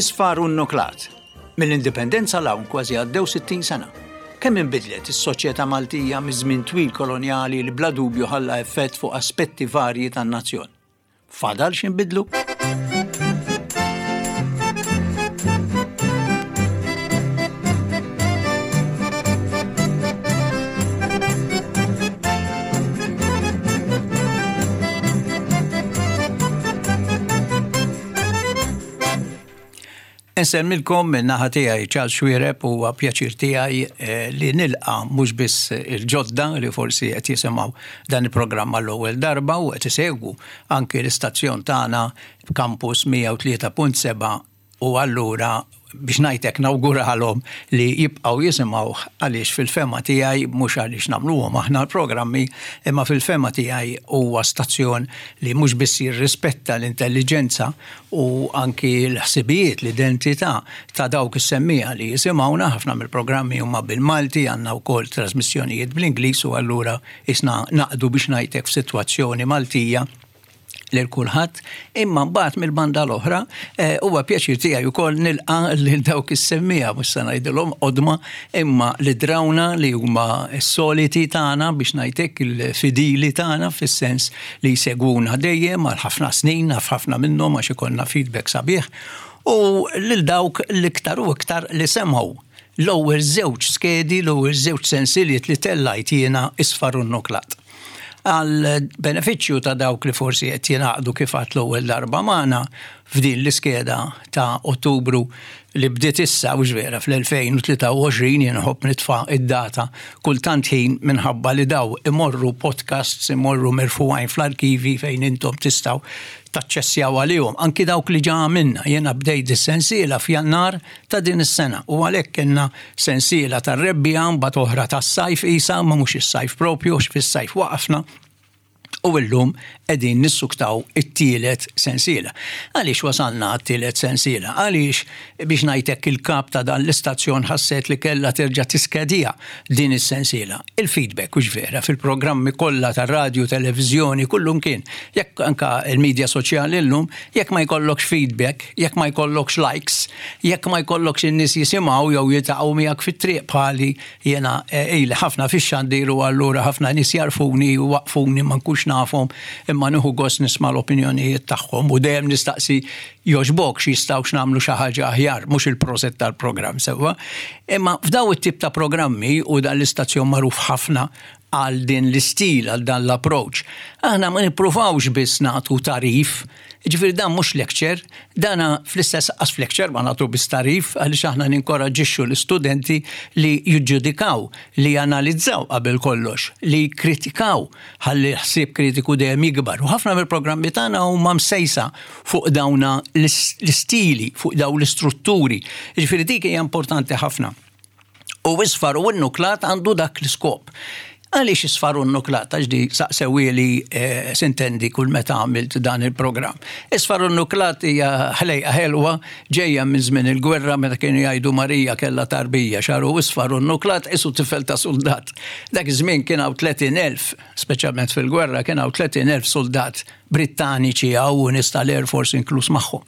Isfar u nnuklat. Mill-Indipendenza 'l hawn kważi għaddew 60 sena. Kemm inbidlet is-soċjetà Maltija miż-żmien twil kolonjali li bla dubju ħalla effett fuq aspetti varji tan-nazzjon. Fadal x'inbidlu? Insellmilkom minn naħa tiegħi Charles Xuereb huwa pjaċir tiegħi eh, li nilqa mhux biss il-ġodda li forsi qed jisimgħu dan il-programm għall-ewwel darba u qed isegwu anki l-istazzjon tagħna Campus 103.7 u allura biex ngħid hekk nawguralhom li jibqgħu jisimgħuh għaliex fil-fehma tiegħi mhux għaliex nagħmluhom aħna l-programmi imma fil-fehma tiegħi huwa stazzjon li mhux biss jirrispetta l-intelliġenza u anki l-ħsibijiet, l-identità ta' dawk is-semmiegħa li jisimgħuna, ħafna mill-programmi huma bil-Malti, għandna wkoll trasmissjonijiet bl-Ingliż u allura qisna naqdu biex ngħid hekk f'sitwazzjoni Maltija lil kulħadd, imma mbagħad mill-banda l-oħra eh, huwa pjaċir tiegħi wkoll nilqa' lil dawk is-semmiegħa mhux se ngħidilhom qodma imma li drawna li huma s-soliti tagħna biex ngħid hekk il-fidili tagħna fis-sens li jsegwuna dejjem għal ħafna snin, naf ħafna minnhom għax ikollna feedback sabiħ, u lil dawk l-iktar u iktar li semgħu l-ewwel żewġ skedi, l-ewwel żewġ sensiliet li tellajt jiena isfar u nnuklat. Għal benefiċċju ta' dawk li forsi qed jingħaqdu kif għadt l-ewwel darba magħna f'din l-iskeda ta' Ottubru li bdiet issa, hux vera, fl-2023, jien nħobb nitfa' id-data kull tant ħin minħabba li daw imorru podcasts, imorru merfugħin fl-arkivi fejn intom tistgħu taċċessjaw għalihom, anki dawk li ġa għamilna. Jiena bdejt dis-sensiela f'Jannar ta' din is-sena u għalhekk kellna sensiela tar-rebbiegħa mbagħad oħra tas-sajf qisha, imma mhux is-sajf proprju għax fis-sajf waqafna u llum qegħdin nissuktaw it-tielet sensiela. Għaliex wasalna għat-tielet sensiela? Għaliex biex ngħid hekk il-kap ta' dan l-istazzjon ħasset li kellha terġa' tiskedija din is-sensiela. Il-feedback hux vera fil-programmi kollha tar-radju, televiżjoni, kullumkien, jekk anke l-media soċjali llum, jekk ma jkollokx feedback, Jekk ma jkollokx likes, jekk ma jkollokx in-nies jisimgħu jew jiltaqgħu miegħek fit-triq bħali, jiena ili ħafna fix-xandir u allura ħafna nies jagħrfuni u jwaqqfuni ma nkunx nafhom imma nieħu gost nisma' l-opinjonijiet tagħhom u dejjem nistaqsi jogħġbokx jistgħux nagħmlu xi ħaġa aħjar, mhux il-proset tal-programm sewwa. Imma f'daw it-tip ta' programmi u dan l-istazzjon magħruf ħafna għal din l-istil, għal dan l-approach. Aħna ma nippruvawx biss nagħtu tagħrif, jiġifieri dan mhux lecture, dana fl-istess qas f'lecture ma nagħtu biss tagħrif għaliex aħna ninkoraġġixxu l-istudenti li jiġġudikaw, li janalizzaw qabel kollox, li jikkritikaw ħalli l-ħsieb kritiku dejjem jikbar. U ħafna mill-programmi tagħna huma msejsa fuq dawna l-istili, fuq dawn l-istrutturi. Jiġifieri dik hija importanti ħafna. U isfar u n-nuklat għandu dak l-iskop. Għaliex isfar u n-nuklat? Għax di saqsewieli eh, sintendi kull meta għamilt dan il-programm. Isfar u n-nuklat hija ħlejqa ħelwa ġejja minn żmien il-gwerra meta kienu jgħidu Marija kellha tarbija xaru isfar u n-nuklat isu tifel ta' soldat. Dak iż-żmien kien hawn 30,000, speċjalment fil-gwerra kien hawn 30,000 soldat Brittaniċi hawn u nies tal-Air Force inkluż magħhom.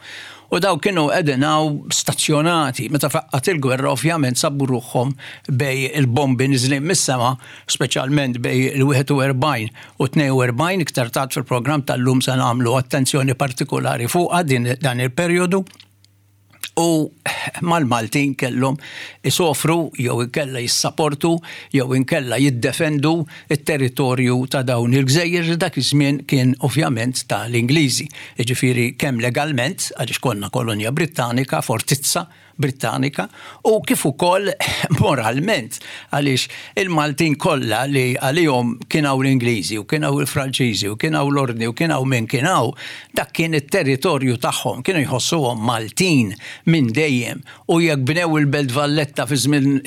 U dawk kienu qegħdin hawn stazzjonati. Meta faqqgħet il-gwerra ovvjament sabu ruħhom bejn il-bombi niżlin mis-sema, speċjalment bejn il-41 u 42, iktar tard fil-programm tal-lum se nagħmlu attenzjoni partikulari fuqha din dan il-perjodu. U mal-Maltin kellhom isofru jew inkella jissaportu jew inkella jiddefendu t-territorju ta' dawn il-gżejjer li dak iż-żmien kien ovvjament ta' l-Ingliżi. Jiġifieri kemm legalment, għaliex konna kolonja Brittanika, fortizza Brittanika, u kif ukoll moralment għaliex il-Maltin kollha li għalihom kien hawn l-Ingliżi u kien hawn il-Franċiżi u kien hawn l-Ordni u kien hawn min kien hawn, dak kien it-territorju tagħhom, kienu jħossuhom Maltin minn dejjem u jekk bnew il-Belt Valletta fi żmien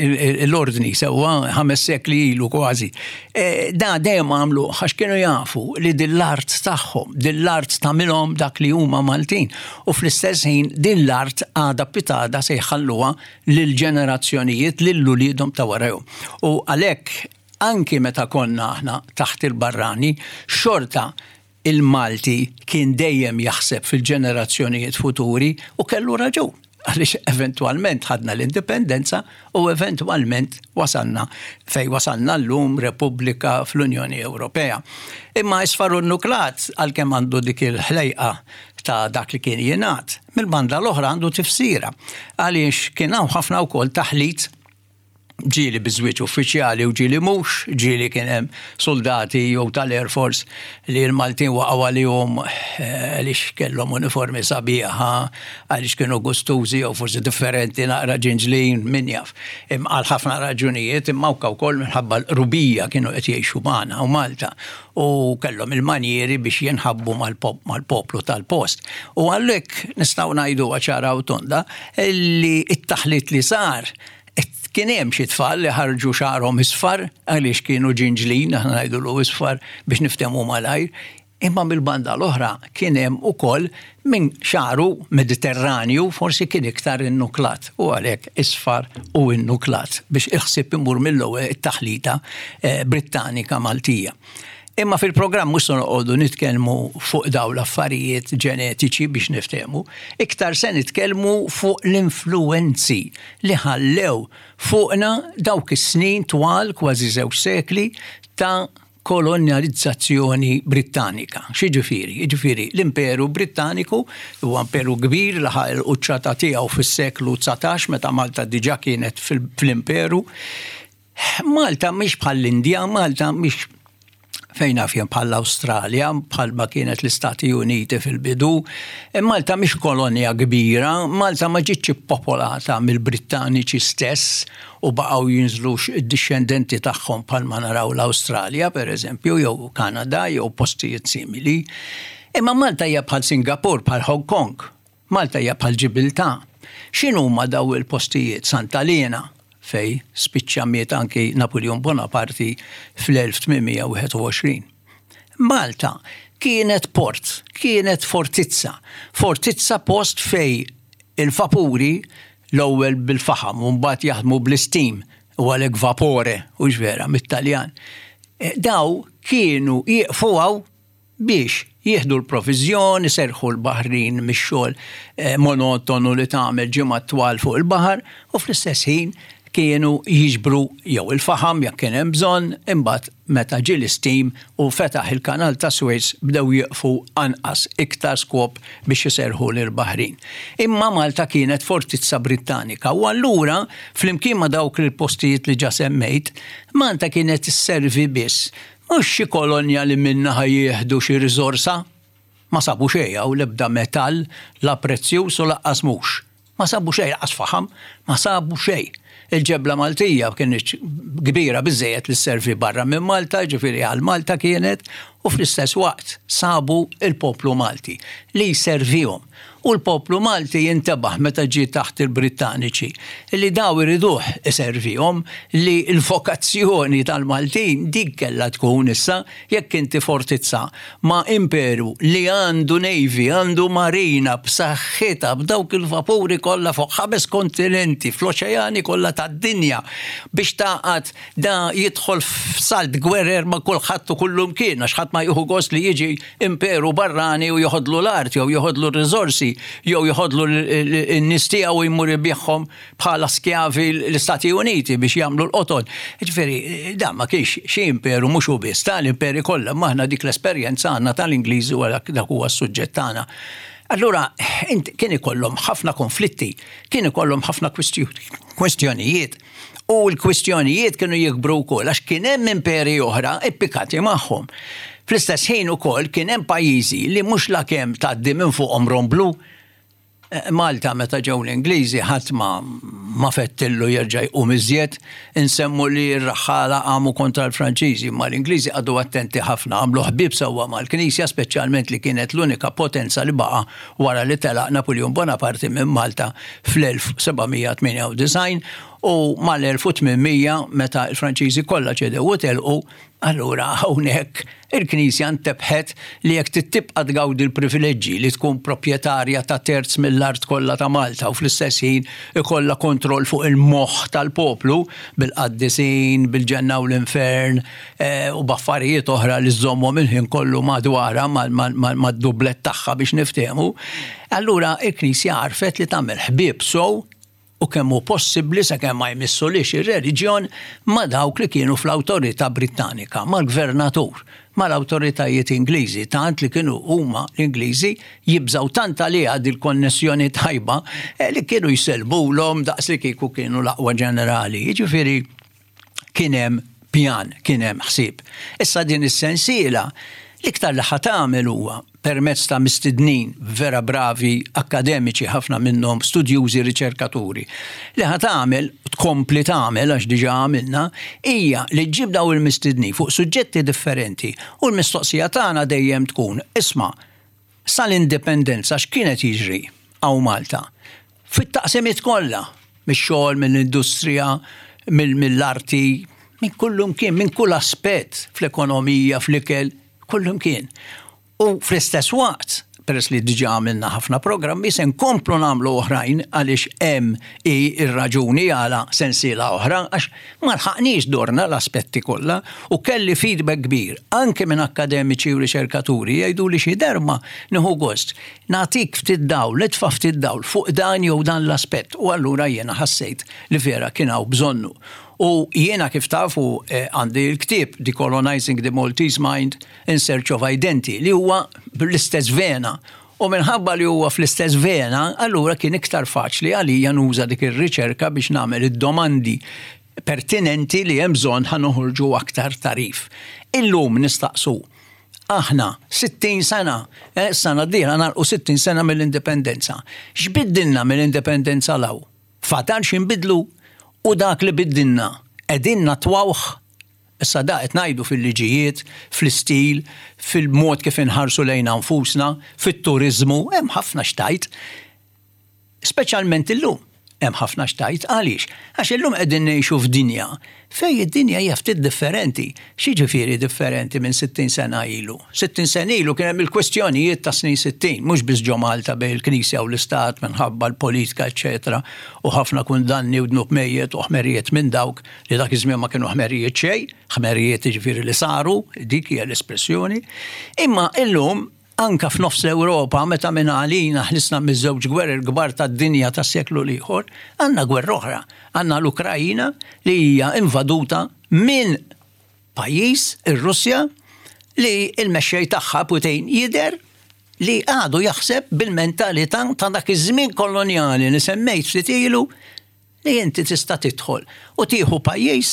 l-Ordni sewwa ħames sekli ilu kważi, e, da dejjem għamlu għax kienu jafu li din l-art tagħhom, din l-art tagħmilhom dak li huma Maltin u fl-istess ħin din l-art għada pitada se jħalluha lill-ġenerazzjonijiet, lil uliedhom ta' warajhom. U għalhekk anki meta konna aħna taħt il-barrani, xorta il-Malti kien dejjem jaħseb fil-ġenerazzjonijiet futuri u kellu raġun. Għaliex eventwalment ħadna l-indipendenza u eventwalment wasalna fejn wasalna llum Repubblika fl-Unjoni Ewropea. Imma isfar u nnuklat għalkemm għandu dik il-ħlejqa ta' dak li kien jingħad, mill-banda l-oħra għandu tifsira għaliex kien hawn ħafna wkoll taħlit ġieli bi żwieġ uffiċjali u ġieli mhux, ġieli kien hemm suldati jew tal-Air Force li l-Maltin waqgħu għalihom eh, għaliex kellhom uniformi sabiħa, għaliex kienu gustużi jew forsi differenti naqra ġinġlin, min jaf. Għal ħafna raġunijiet imma anke wkoll minħabba l-qrubija kienu qed jgħixu magħna u Malta u kellhom il-manjieri biex jinħabbu mal-poplu tal-post. U għalhekk nistgħu ngħidu ċara u tonda li t-taħlit li sar Kien hemm xi tfal li ħarġu xagħarhom isfar għaliex kienu ġinġlin, aħna ngħidulu isfar biex niftehmu malajr, imma mill-banda l-oħra kien hemm ukoll min xagħru Mediterranju forsi kien iktar innuklat u għalhekk isfar u innuklat biex il-ħsieb imur mill-ewwel it-taħlita eh, Brittanika Maltija. Imma fil-programm mhux se noqogħdu nitkellmu fuq dawn l-affarijiet ġenetiċi biex niftehmu, iktar se nitkellmu fuq l-influwenzi li ħallew fuqna dawk is-snin twal, kważi żewġ sekli, ta' kolonjalizzazzjoni Brittanika. X'jiġifieri? Jiġifieri l-Imperu Brittaniku huwa imperu kbir laħaq il-quċċata tiegħu fis-seklu 19 meta Malta diġà kienet fl-imperu. Malta mhix bħall-Indja, Malta mhix fejn naf jien bħall-Awstralja, bħalma kienet l-Istati Uniti fil-bidu. E Malta mhix kolonja kbira, Malta ma ġietx ippopolata mill-Brittaniċi stess u baqgħu jinżlu id-dixxendenti tagħhom bħalma naraw l-Awstralja pereżempju jew Kanada jew postijiet simili. Imma Malta hija bħal Singapur, bħal Hong Kong. Malta hija bħal Ġibiltà. X'inhuma daw il-postijiet? Santa Liena, fejn spiċċa miet anki Napuljun Bonaparti fl-1821. Malta kienet port, kienet fortizza. Fortizza post fejn il-vapuri l-ewwel bil-faħam u mbagħad jaħdmu bl-istim u għalhekk vapore, hux vera, mit-Taljan. Daw kienu jieqfu hawn biex jieħdu l-proviżjon, iserrħu l-baħrin mix-xogħol monotonu li tagħmel ġimgħat twal fuq il-baħar u fl-istess ħin kienu jiġbru jew il-faħam jekk kien hemm bżonn, imbagħad meta ġie l-istim u fetaħ il-Kanal ta' Suez bdew jieqfu anqas, iktar skop biex iserrħu lill-baħrin. Imma Malta kienet fortizza Brittanika u allura flimkien ma' dawk il-postijiet li ġa semmejt, Malta kienet isservi biss Mhux xi kolonja li minnha ħa jieħdu xi riżorsa. Ma sabu xejn hawn, l-ebda metall, la prezzjuż u lanqas mhux. Ma sabu xejn, lanqas faħam, ma sabu xejn. Il-ġebla Maltija kinitx kbira biżżejjed li sservi barra minn Malta, jiġifieri għal Malta kienet, u fl-istess waqt sabu l-poplu Malti li jservihom. U l-poplu Malti jintebaħ meta ġie taħt il-Brittaniċi li daw iriduh iservihom, li l-vokazzjoni tal-Maltin dik kellha tkun issa, jekk inti fortizza ma' imperu li għandu navy, għandu marina b'saħħitha b'dawk il-vapuri kollha fuq ħames kontinenti, fl-oċeani kollha tad-dinja biex tagħqad da jidħol f'salt gwerer ma' kulħadd u kullumkien għax ħadd ma jieħu gost li jiġi imperu barrani u joħodlu l-art jew joħodlu r-riżorsi jew joħodlu n-nies tiegħu u jmur ibigħhom bħala skjavi l-Istati Uniti biex jagħmlu l-qoton. Ġifieri, dan ma kienx xi imperu mhux hu biss, tal-imperi kollha, imma aħna dik l-esperjenza għandna tal-Ingliżi u għalhekk dak huwa s-suġġett tagħna. Allura, kien ikollhom ħafna konflitti, kien ikollhom ħafna kwistjonijiet. U l-kwistjonijiet kienu jikbru wkoll għax kien hemm imperi oħra ippikati magħhom. Fl-istess ħin ukoll kien hemm pajjiżi li mhux lakemm tgħaddi minn fuqhom romblu. Eh, Malta meta ġew l-Ingliżi ħadd ma ma fettillu jerġa' jqum iżjed, insemmu li r-raħħala qamu kontra l-Franċiżi, imma l-Ingliżi qagħdu attenti ħafna, għamlu ħbieb sewwa mal-Knisja, speċjalment li kienet l-unika potenza li baqa' wara li telaq Napuljun Bonaparte minn Malta fl-1798. U mal-1800 meta l-Franċiżi kollha ċedew u telqu, allura hawnhekk il-Knisja ntebħet li jekk trid tibqa' tgawdi l-privileġġi li tkun proprjetarja ta' terz mill-art kollha ta' Malta u fl-istess ħin ikollha kontroll fuq il-moħħ tal-poplu bil-qaddisin, bil-ġenna u l-infern u b'affarijiet oħra li żżommhom il-ħin kollu madwarha mad-dublett tagħha biex niftehmu, allura l-Knisja għarfet li tagħmel ħbieb sew u kemm hu possibbli sakemm ma jmissulhiex ir-reliġjon ma' dawk li kienu fl-awtorità Brittanika, mal-gvernatur, mal-awtoritajiet Ingliżi, tant li kienu huma l-Ingliżi jibżgħu tant għaliha dil-konnessjoni tajba eh, li kienu jsellmulhom daqs li kieku kienu l-aqwa ġenerali. Jiġifieri kien hemm pjan, kien hemm ħsieb. Issa din is-sensiela l-iktar li ħa tagħmel huwa permezz ta' mistednin vera bravi, akkademiċi ħafna minnhom, studjużi, riċerkaturi, li ħa tagħmel, tkompli tagħmel għax diġà għamilna, hija li ġġib daw il-mistednin fuq suġġetti differenti u l-mistoqsija tagħna dejjem tkun, isma' sal-indipendenza x'kien qed jiġri hawn Malta? Fit-taqsimiet kollha, mix-xogħol, mill-industrija, mill-arti, minn kullumkien, minn kull aspett, fl-ekonomija, fl-ikel, kullumkien. U fl-istess waqt, peress li diġà għamilna ħafna programmi, se nkomplu nagħmlu oħrajn għaliex hemm hi r-raġuni għala sensiela oħra għax ma lħaqniex dorna l-aspetti kollha u kelli feedback kbir anke minn akkademiċi u riċerkaturi jgħiduli xi darba nieħu gost nagħtik ftit dawl, nitfa' ftit dawl fuq dan jew dan l-aspett u allura jiena ħassejt li vera kien hawn bżonnu. U jiena kif tafu eh, għandi l-ktieb Decolonizing the Maltese Mind in Search of Identity li huwa bl-istess vena U minħabba li huwa fl-istess vena, allura kien iktar faċli għalija nuża dik ir-riċerka biex nagħmel id-domandi pertinenti li hemm bżonn ħa noħorġu aktar tagħrif. Illum nistaqsu aħna 60 sena, eh, sena d-dieħla nagħlqu 60 sena mill-indipendenza. X'biddilna mill-indipendenza 'l hawn? Fadal x'inbidlu? U dak li biddilna qegħdin natwawh? Issa da qed ngħidu fil-liġijiet, fl-istil, fil-mod kif inħarsu lejna nfusna, fit-turiżmu, hemm ħafna x'tgħid. Speċjalment illum hemm ħafna x'tgħid. Għaliex? Għax illum qegħdin ngħixu f'dinja fejn id-dinja hija ftit differenti. X'jiġifieri differenti minn 60 sena ilu? 60 sena ilu kien hemm il-kwestjonijiet tas-snin 60, mhux biss ġo Malta bejn il-Knisja u l-Istat minħabba l-politika eċċetera u ħafna kundanni u dnub mejjet u ħmerijiet minn dawk li dak iż-żmien ma kienu ħmerijiet xejn, ħmerijiet jiġifieri li saru, dik hija l-espressjoni. Imma illum Anke f'nofs l-Ewropa, meta mingħalina ħlisna miż-żewġ gwerer kbar tad-dinja tas-seklu l-ieħor, għandna gwerra oħra. Għandna l-Ukraina li hija invaduta minn pajjiż, ir-Russja, li l-mexxej tagħha Putin jidher li għadu jaħseb bil-mentalità ta' dak iż-żmien kolonjali li semmejt ftit ilu li inti tista' tidħol u tieħu pajjiż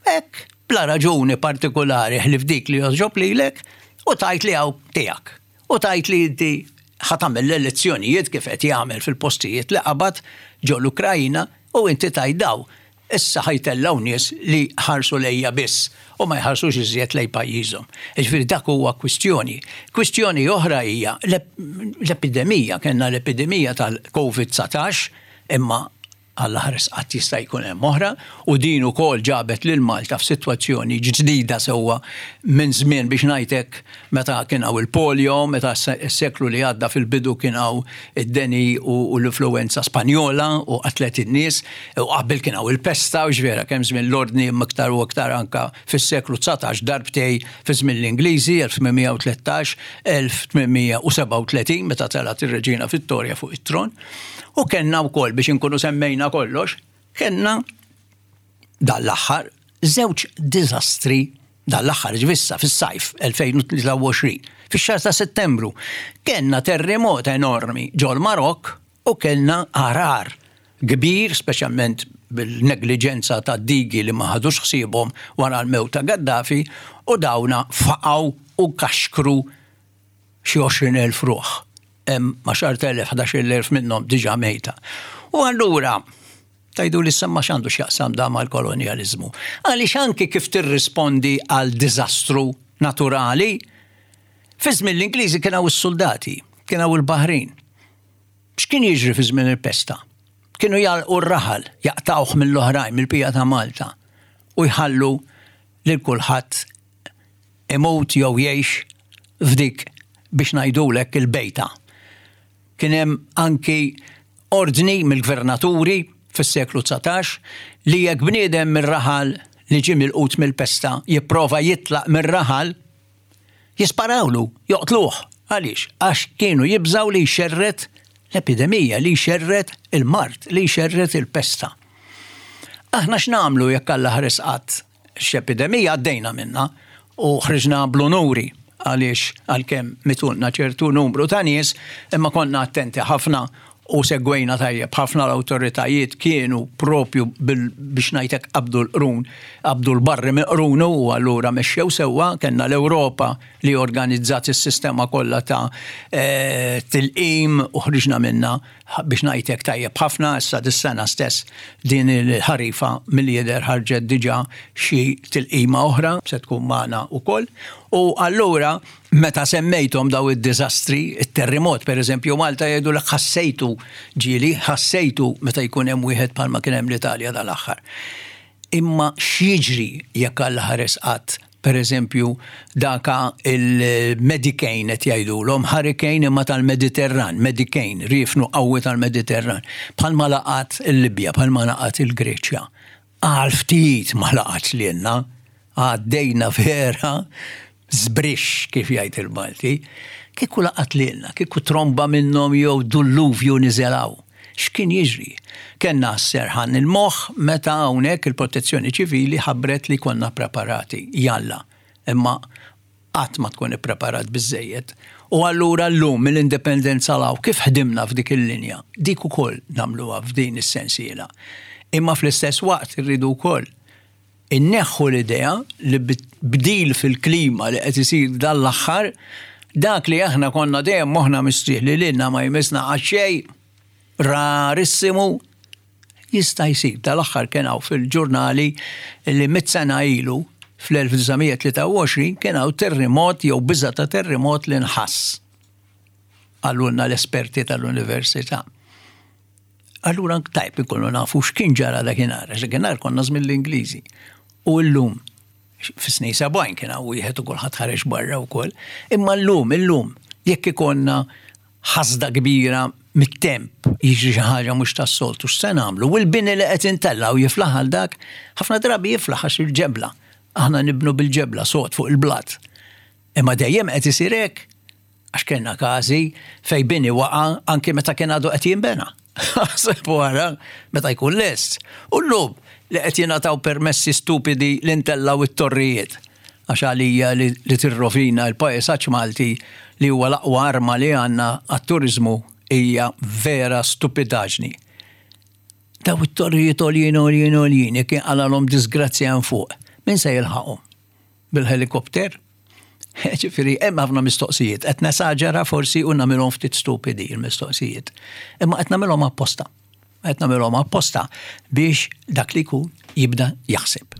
hekk bla raġuni partikulari ħlief dik li jogħġob lilek u tgħid li hawn tiegħek u tgħid li inti ħa tagħmel l-elezzjonijiet kif qed jagħmel fil-postijiet li qabad ġo l-Ukraina u inti tgħid daw issa ħa jtellgħu nies li ħarsu lejja biss u ma jħarsux iżjed lejn pajjiżhom. Jiġifieri dak huwa kwistjoni. Kwistjoni oħra hija l-epidemija, kellna l-epidemija tal-Covid 19 Imma Alla ħares qatt jista' jkun hemm oħra u din ukoll ġabet lil Malta f'sitwazzjoni ġdida sewwa minn żmien biex ngħid hekk meta kien hawn il-polio, meta s-seklu li għadda fil-bidu kien hawn id-deni u l-influwenza Spanjola u qatlet in-nies u qabel kien hawn il-pesta u x'vera kemm żmien l-Ordni imma iktar u iktar anke fis-seklu 19 darbtej fi żmien l-Ingliżi 1813, 1837 meta telgħet ir-Reġina Vittoria fuq it-tron. U kellna wkoll biex inkunu semmejna kollox, kellna dan l-aħħar żewġ diżastri dan l-aħħar ġvissa fis-sajf 2023, fix-xahar ta' Settembru, kellna terremot enormi ġol Marokk u kellna għarar kbir, speċjalment bil-negliġenza ta' digi li ma ħadux ħsiebhom wara l-mewt ta' Gaddafi u dawna faqgħu u kaxkru xi 20,000 ruħ. Hemm 10,000, 11,000 minnhom diġà mejta. U allura tgħidu li semma x'għandu x'jaqsam da mal-kolonjaliżmu. Għaliex anki kif tirrispondi għal diżastru naturali, fi żmien l-Ingliżi kien hawn is-suldati, kien hawn il-baħrin. X'kien jiġri fi żmien il-pesta? Kienu jagħlqu r-raħal, jaqtgħuh mill-oħrajn, mill-bqija ta' Malta, u jħallu lil kulħadd imut jew jgħix f'dik biex ngħidulek il-bejta. Kien hemm anki ordni mill-gvernaturi fis-seklu 19 li jekk bniedem mir-raħal li ġie milqut mill-pesta jipprova jitlaq mir-raħal, Jisparawlu, joqtluh. Għaliex? Għax kienu jibżgħu li jxerred l-epidemija, li jxerred il-mard, li jxerred il-pesta. Aħna x'nagħmlu jekk Alla ħares qatt x'epidemija għaddejna minnha u ħriġna bl-unuri għaliex għalkemm mitulna ċertu numru ta' nies imma konna attenti ħafna u segwejna tajjeb ħafna l-awtoritajiet kienu propju biex ngħid hekk qabdu l-qrun, qabdu l-barri minn qrunu u allura mexxew sewwa, kellna l-Ewropa li organizzat is-sistema kollha ta' eh, tilqim u ħriġna minnha biex ngħid hekk tajjeb ħafna, issa dis-sena stess din il-ħarifa milli jidher ħarġet diġà xi tilqima oħra se tkun magħna wkoll. U allura Meta semmejthom daw id-diżastri, it-terrimot pereżempju Malta jgħidulek ħassejtu ġieli, ħassejtu meta jkun hemm wieħed bħalma kien hemm l-Italja dal-aħħar. Imma x'jiġri jekk Alla ħares qatt pereżempju daka il-Medicane qed jgħidulhom, hurricane imma tal-Mediterran, Medicane, riefnu qawwi tal-Mediterran, bħalma laqat il-Libja, bħalma laqat il-Greċja. Għal ftit ma laqatx lilna, għaddejna vera żbrixx kif jgħid il-Malti. Kieku laqat lilna, kieku tromba minnhom jew dulluvju niżel hawn, x'kien jiġri? Kellna s-serħan il-moħħ meta hawnhekk il-Protezzjoni Ċivili ħabbret li konna preparati. Jalla, imma qatt ma tkun ippreparat biżżejjed. U allura llum mill-Indipendenza 'l hawn kif ħdimna f'dik il-linja, dik ukoll nagħmluha f'din is-sensiela. Imma fl-istess waqt irridu wkoll inneħħu l-idea li bdil fil-klima li qed isir dan l-aħħar, dak li aħna konna dejjem moħħna mistrieħ li lilna ma jmissna qatt xejn, rarissimu, Jista' jsir. Dal-aħħar kien hawn fil-ġurnali li mitt sena ilu, fl-1923, kien hawn terrimot jew biża' ta' terrimot li nħass. Qalulna l-esperti tal-università. Allura tajb inkunu nafu x'kien ġara dakinhar, għax dakinhar konna żmien l-Ingliżi. U llum, fis-snin 70 kien hawn wieħed u kulħadd ħareġ barra wkoll. Imma llum, illum, jekk ikollna ħasda kbira mit-temp, jiġri xi ħaġa mhux tas-soltu, x'se nagħmlu? U l-bini li qed intellgħu jiflaħ għal dak? Ħafna drabi jiflaħ għax il-ġebla. Aħna nibnu bil-ġebla sod fuq il-blat. Imma dejjem qed isir hekk? Għax kellna każi fejn bini waqa' anki meta kien għadu qed jinbena. Aħseb wara meta jkun lest. U llum li qed jingħataw permessi stupidi li ntellgħu t-torrijiet. Għax għalija li tirrovina l-paesaġġ Malti li huwa l-aqwa arma li għandna għat-turiżmu hija vera stupidaġni. Daw it-torrijiet għoljin għoljin għoljin jekk jinqalgħalhom diżgrazzja hemm fuq, min se jilħaqhom? Bil-ħelikopter? Ġifieri hemm ħafna mistoqsijiet. Qed nesaġera forsi u nagħmilhom ftit stupidi l-mistoqsijiet. Imma qed nagħmilhom apposta. Qed nagħmilhom apposta biex dak li jkun jibda jaħseb.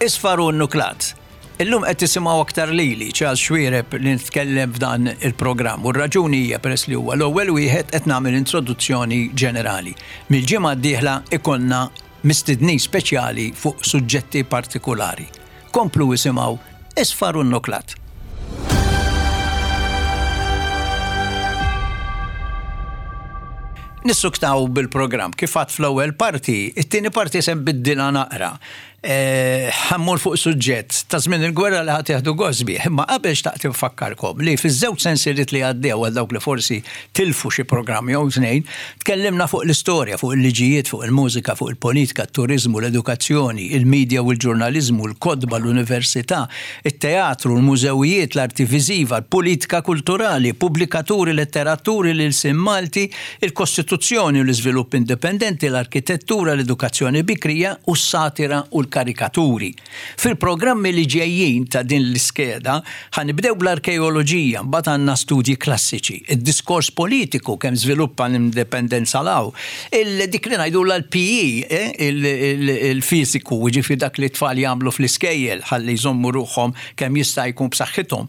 Isfar u nuklat. Illum qed tisimgħu aktar lili, Charles Xuereb, li nitkellem f'dan il-programm u r-raġuni hija peress li huwa l-ewwel wieħed qed nagħmel introduzzjoni ġenerali. Mill-ġimgħa d-dieħla ikollna mistednin speċjali fuq suġġetti partikulari. Komplu isimgħu Isfar u Nnuklat. Nissuktaw bil-programm. Kif għadt fl-ewwel parti, it-tieni parti se nbiddilha naqra. Eh, ħammur fuq suġġett ta' żmien il-gwerra li ħadd jieħdu gost bih. Imma qabel xtaqt infakkarkom li fiż-żewġ sensiriet li għaddew għal dawk li forsi tilfu xi programm jew tnejn, tkellimna fuq l-istorja, fuq il-liġijiet, fuq il-mużika, fuq il-politika, t-turiżmu, l-edukazzjoni, il-medja u l-ġurnaliżmu, l-kotba, l-università, it-teatru, l-mużewijiet, l-arti viżiva, l-politika kulturali, pubblikaturi, letteraturi, l-ilsien Malti, il-Kostituzzjoni u l-iżvilupp indipendenti, l-arkitettura, l-edukazzjoni bikrija u s-satira u l. il-karikaturi. Fil-programmi li ġejjin ta' din l-iskeda ħa nibdew bl-arkeoloġija, mbagħad għandna studji klassiċi, id-diskors politiku kemm żviluppa l-indipendenza 'l hawn, dik li ngħidulha l-PE, il-fiżiku, jiġifieri dak li t-tfal jagħmlu fl-iskejjel ħalli jżommu ruħhom kemm jista' jkun b'saħħithom.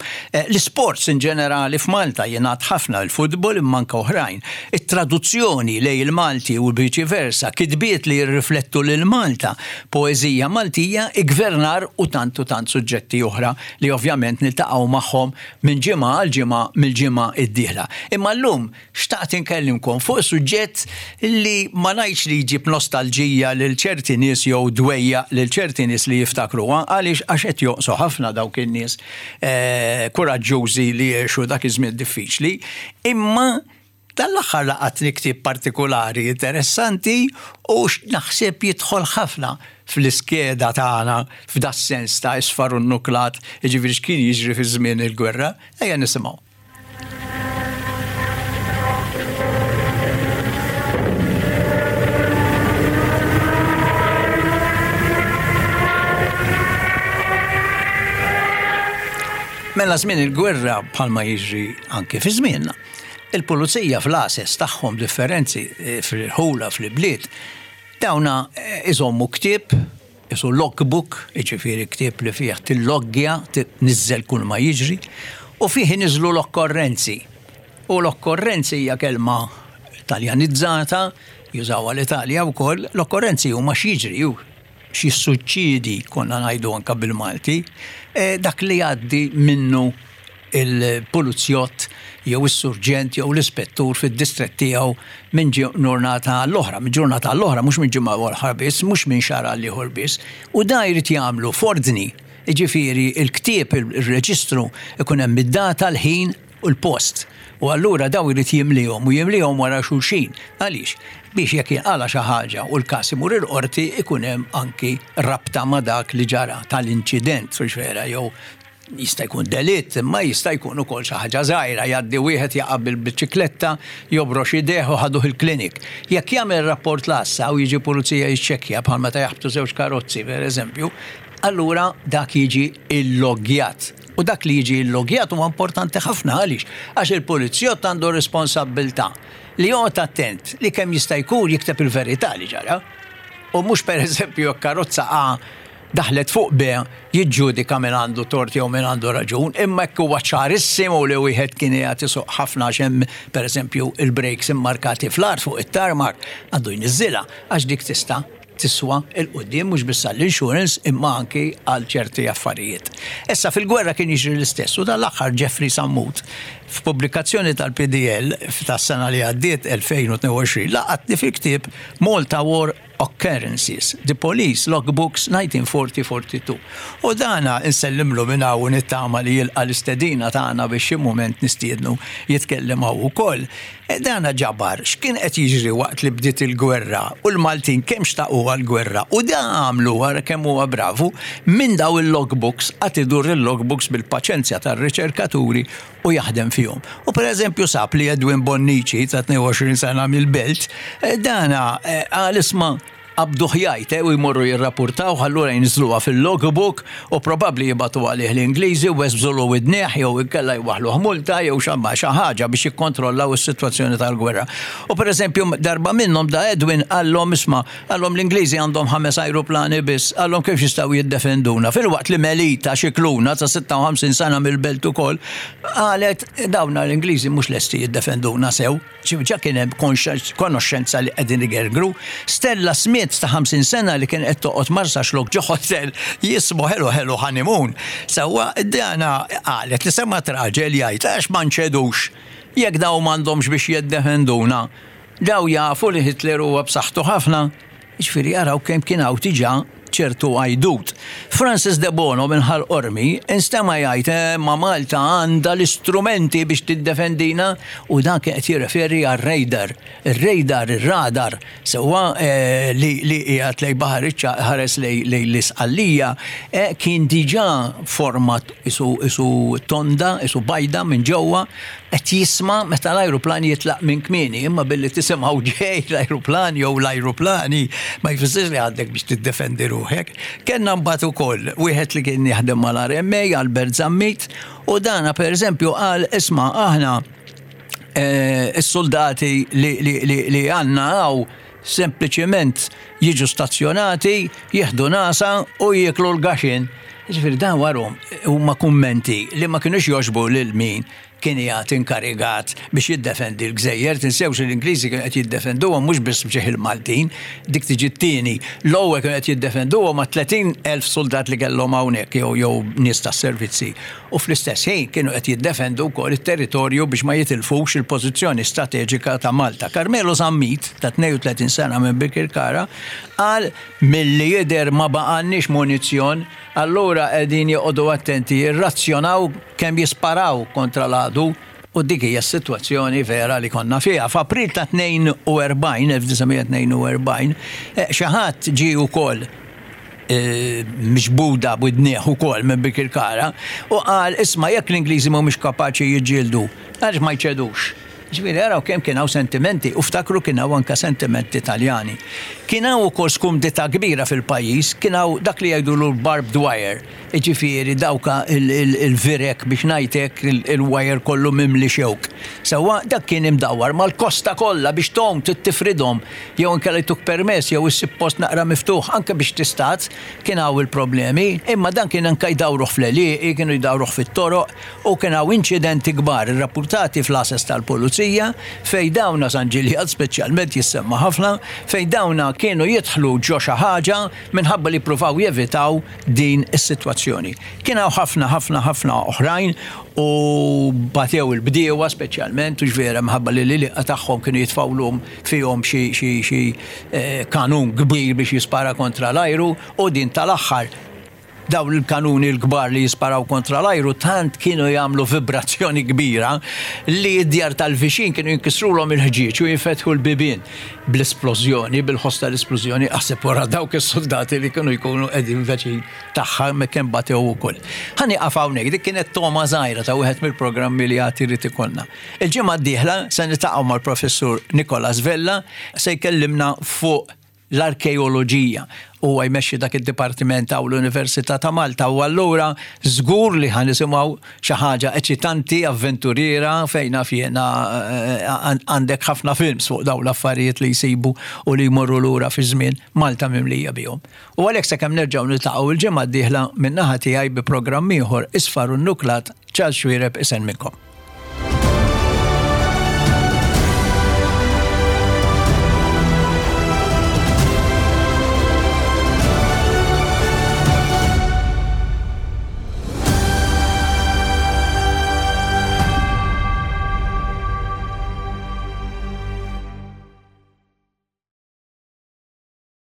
L-isports in ġenerali f'Malta jingħad ħafna, il-futbol imma anke oħrajn. It-traduzzjoni lejn il-Malti u viċi versa, kitbiet li jirriflettu lil Malta, poeżija Maltija, iggvernar u tant u tant suġġetti oħra li ovvjament niltaqgħu magħhom minn ġimgħa għal ġimgħa mill-ġimgħa d-dieħla. Imma llum Xtaqt inkellimkom fuq suġġett li ma ngħidx li jġib nostalġija lil ċerti nies jew dwejjaq lil ċerti nies li jiftakruha għaliex għax qed jonqsu ħafna dawk in-nies kuraġġużi li għexu dak iż-żmien diffiċli, imma dan l-aħħar laqatni ktieb partikulari interessanti u naħseb jidħol ħafna fl-iskeda tagħna f'das-sens ta' isfar u nnuklat, jiġifieri x'kien jiġri fi żmien il-gwerra. Ejja nisimgħu. Mela żmien il-gwerra bħalma jiġri anke fi żmienna. Il-pulizija fl-għases tagħhom differenzi eh, fil-ħula fl-bliet dawna eh, iżommu ktieb Qisu logbook, jiġifieri ktieb li fih tilloggja, tniżżel kull ma jiġri, u fih iniżżlu l-okkorrenzi. U l-okkorrenzi hija kelma Taljanizzata, jużawha l-Italja wkoll, l-okkorrenzi huma x'jiġri, x'jissuċċiedi, konna ngħidu anke bil-Malti, dak li jgħaddi minnu il-pulizjott jew is-surġent jew l-ispettur fid-distrett tiegħu minn ġurnata għall-oħra, minn ġurnata għall-oħra, mhux minn ġimgħa oħra biss, mhux minn xahar għal ieħor biss, u dan jrid jagħmlu f'ordni, jiġifieri l-ktieb, ir-reġistru, ikun hemm id-data, l-ħin u l-post. U allura dawn irid jimlihom u jimlihom wara xulxin. Għaliex? Biex jekk jinqala' xi ħaġa u l-każ imur il-qorti ikun hemm anki rabta ma' dak li ġara tal-inċident, hux vera, jew Jista' jkun delitt, imma jista' jkun ukoll xi ħaġa żgħira, jgħaddi wieħed jaqa' bil-biċikletta, jobrox idejh u ħaduh il-klinik. Jekk jagħmel rapport l-għassa u jiġi pulizija jiċċekkja bħal meta jaħbtu żewġ karozzi pereżempju, allura dak jiġi illoggjat. U dak li jiġi illoggjat huwa importanti ħafna għaliex? Għax il-pulizjott għandu responsabbiltà li joqgħod attent li kemm jista' jkun jikteb il-verità li ġara. U mhux pereżempju jekk karozza A daħlet fuq B jiġġudika min għandu tort jew min għandu raġun, imma jekk huwa ċarissimu li wieħed kien qiegħed isuq ħafna għax hemm pereżempju il-brakes immarkati fl-art fuq it-tarmac, għandu jniżżilha għax dik tista' tiswa 'l quddiem mhux biss għall-insurance imma anki għal ċerti affarijiet. Issa fil-gwerra kien jiġri l-istess u dan l-aħħar Jeffrey Sammut f'pubblikazzjoni tal-PDL tas-sena li għaddiet 2022 laqatni fil-ktieb Malta War Occurrences, The Police Logbooks 1940-42. U dana nsellimlu minn hawn u nittama li jilqa' l-istedina tagħna biex xi mument nistiednu jitkellem hawn ukoll. Dana ġabar x'kien qed jiġri waqt li bdiet il-gwerra u l-Maltin kemm xtaquha l-gwerra u da għamlu ara kemm huwa bravu minn daw il-logbooks qagħad idur il-logbooks bil-paċenzja tar-riċerkaturi u jaħdem fihom. U pereżempju sab li Edwin Bonnici ta' 22 sena mill-Belt, eh, dana eh, qal isma' qabduh jgħid eh, u jmorru jirrapportaw allura jinżluha fil-logbook u probabbli jibatu għalih l-Ingliżi u weżbżulu widnejh jew inkella jwaħħluh multa jew xamma xi ħaġa biex jikkontrollaw is-sitwazzjoni tal-gwerra. U pereżempju darba minnhom da Edwin qallhom isma' Qalhom l-Ingliżi għandhom ħames ajruplani biss, qalhom kif jistgħu jiddefenduna. Filwaqt li Melita Scicluna ta' 56 sena mill-Belt ukoll qalet dawna l-Ingliżi mhux lesti jiddefenduna sew. Ġa kien hemm konoxxenza li qegħdin igergru. Stella Smith ta' 50 sena li kien qed toqgħod Marsaxlokk ġo hotel jismu Hello Hello Honeymoon. Sewwa dana qalet li semgħet raġel jgħid għax ma nċedux jekk dawn m'għandhomx biex jiddefenduna. Daw jafu li Hitler huwa b'saħħtu ħafna, jiġifieri araw kemm kien hawn diġà ċertu għajdut. Francis Debono minn Ħal Qormi instema' jgħid eh ma Malta għandha l-istrumenti biex tiddefendina u dan kien qed jirreferi għar-radar. Ir-radar, ir-radar, sewwa li li qiegħed lejn Baħar iċ-Ċagħaq iħares lejn lejn l-Isqallija, eh kien diġà forma qisu qisu tonda, qisu bajda minn ġewwa Qed jisma' meta l-ajruplan jitlaq minn kmieni, imma billi tisimgħu ġej l-ajruplan jew l-ajruplani ma jfissirx li għandek biex tiddefendi ruħek. ruħek. Kellna mbagħad ukoll wieħed li kien jaħdem mal-RMA, Albert Zammit, u dana pereżempju qal isma' aħna eh, s-soldati li għandna hawn sempliċement jiġu stazzjonati, jieħdu nasa u jieklu l-gaxin. Ġifieri dan warhom huma kummenti li ma kinux jogħġbu lil min kien qiegħed inkarigat biex jiddefendi l-gżejjer. Tinsewx li l-Ingliżi kienu qed jiddefenduhom mhux biss b'ġieħ il-Maltin, dik tiġi t-tieni. L-ewwel kienu qed jiddefenduhom ma' 30,000 suldat li kellhom hawnhekk jew jew nies tas-servizzi. U fl-istess ħin kienu qed jiddefendu wkoll it-territorju biex ma jitilfux il-pożizzjoni strateġika ta' Malta. Carmelo Zammit, ta' 32 sena minn Birkirkara, qal milli jidher ma baqgħalniex munizzjon, allura qegħdin joqogħdu attenti jirrazzjonaw kemm jisparaw kontra l-għadu u dik hija s-sitwazzjoni vera li konna fiha. F'April ta' 42, 1942, xi ħadd ġie wkoll miġbuda b'widnieh ukoll minn Birkirkara u qal isma' jekk l-Ingliżi mhumiex kapaċi jiġġieldu, għaliex ma jċedux? Ġifieri araw kemm kien hawn sentimenti u ftakru kien hawn anke sentimenti Taljani. Kien hawn ukoll skumdità kbira fil-pajjiż, kien hawn dak li jgħidulu l-barbed wire, jiġifieri dawk il-virek biex ngħid hekk il-wire kollu mimli xewk. Sewwa dak kien imdawwar mal-kosta kollha biex tgħum trid tifridhom jew inkella jtuk permess jew issib post naqra miftuħ anke biex tistad, kien hawn il-problemi, imma dan kien anke jdawruh fl-għelieqi, kienu jdawruh fit-toroq. U kien hawn inċidenti kbar irrappurtati fl-għases tal-pulizija fejn dawna, San Ġiljan speċjalment jissemma ħafna, fejn dawna kienu jidħlu ġo xi ħaġa minħabba li jippruvaw jevitaw din is-sitwazzjoni. Kien hawn ħafna ħafna ħafna oħrajn u batew il-bdiewa speċjalment hux vera minħabba li l-għelieqa tagħhom kienu jitfgħulhom fihom xi xi xi kanun kbir biex jispara kontra l-ajru u din tal-aħħar Dawn il-kanuni l-kbar li jisparaw kontra l-ajru tant kienu jagħmlu vibrazzjoni kbira li d-djar tal-viċin kienu jinkisrulhom il-ħġieġ u jinfetħu l-bibien bl-isplożjoni, bil-ħoss tal-isplużjoni, aħseb wara dawk is-suldati li kienu jkunu qegħdin veċin tagħha hemmhekk kemm batew ukoll. Ħa nieqaf hawnhekk, dik kienet togħma żgħira ta' wieħed mill-programmi li għad irid ikollna. Il-ġimgħa d-dieħla se niltaqgħu mal-Professur Nicholas Vella se jkellimna fuq l-arkeoloġija. Huwa jmexxi dak id-dipartiment hawn l-Università ta' Malta u allura żgur li ħa nisimgħu xi ħaġa eċitanti, avventuriera fejn naf jiena għandek ħafna films fuq dawn l-affarijiet li jsibu u li jmorru lura fiż-żmien, Malta mimlija bihom. U għalhekk sakemm nerġgħu niltaqgħu l-ġimgħa d-dieħla min-naħa tiegħi bi programm ieħor Isfar u Nnuklat, Charles Xuereb isellmilkom.